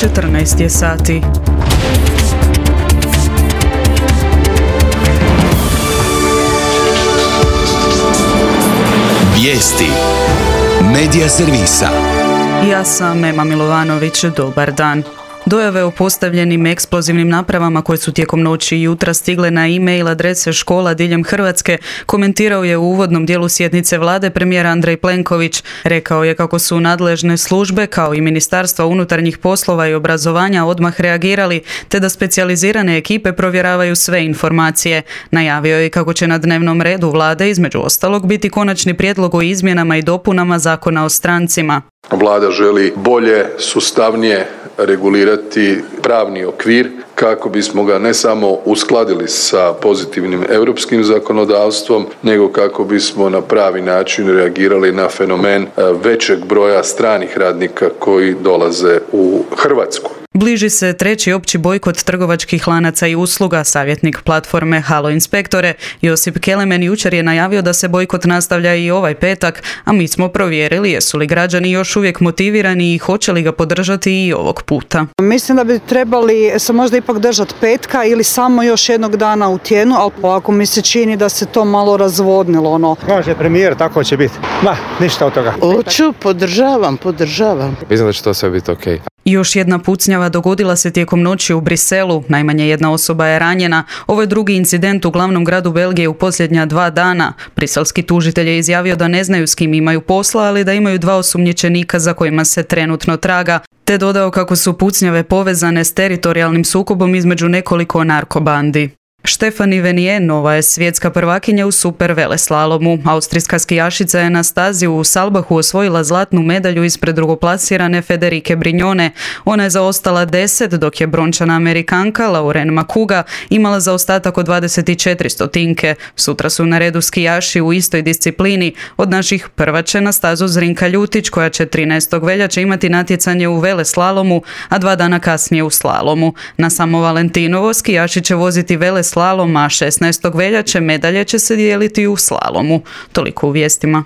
14 je sati. Vijesti Medija servisa. Ja sam Ema Milovanović, dobar dan. Dojave o postavljenim eksplozivnim napravama koje su tijekom noći i jutra stigle na e-mail adrese škola diljem Hrvatske komentirao je u uvodnom dijelu sjednice vlade premijer Andrej Plenković. Rekao je kako su nadležne službe kao i Ministarstva unutarnjih poslova i obrazovanja odmah reagirali te da specijalizirane ekipe provjeravaju sve informacije. Najavio je kako će na dnevnom redu vlade između ostalog biti konačni prijedlog o izmjenama i dopunama Zakona o strancima. Vlada želi bolje, sustavnije regulirati pravni okvir kako bismo ga ne samo uskladili sa pozitivnim europskim zakonodavstvom, nego kako bismo na pravi način reagirali na fenomen većeg broja stranih radnika koji dolaze u Hrvatsku. Bliži se treći opći bojkot trgovačkih lanaca i usluga. Savjetnik platforme Halo Inspektore Josip Kelemen jučer je najavio da se bojkot nastavlja i ovaj petak, a mi smo provjerili jesu li građani još uvijek motivirani i hoće li ga podržati i ovog puta. Mislim da bi trebali se možda ipak držati petka ili samo još jednog dana u tjednu, ali ovako mi se čini da se to malo razvodnilo. Kaže premijer, tako će biti. Ništa od toga. Hoću, podržavam. Mislim da će to sve biti okej. Još jedna pucnjava dogodila se tijekom noći u Briselu. Najmanje jedna osoba je ranjena. Ovo je drugi incident u glavnom gradu Belgije u posljednja 2 dana. Briselski tužitelj je izjavio da ne znaju s kim imaju posla, ali da imaju 2 osumnjičenika za kojima se trenutno traga, te dodao kako su pucnjave povezane s teritorijalnim sukobom između nekoliko narkobandi. Stefanie Venier nova je svjetska prvakinja u super veleslalomu. Austrijska skijašica je na stazi u Salbahu osvojila zlatnu medalju ispred drugoplasirane Federike Brignone. Ona je zaostala 10, dok je brončana Amerikanka Lauren Makuga imala zaostatak od 24 stotinke. Sutra su na redu skijaši u istoj disciplini. Od naših prva će na stazu Zrinka Ljutić, koja će 13. veljače imati natjecanje u veleslalomu, a 2 dana kasnije u slalomu. Na samo Valentinovo skijaši će voziti veleslalom, a 16. veljače medalje će se dijeliti u slalomu. Toliko u vijestima.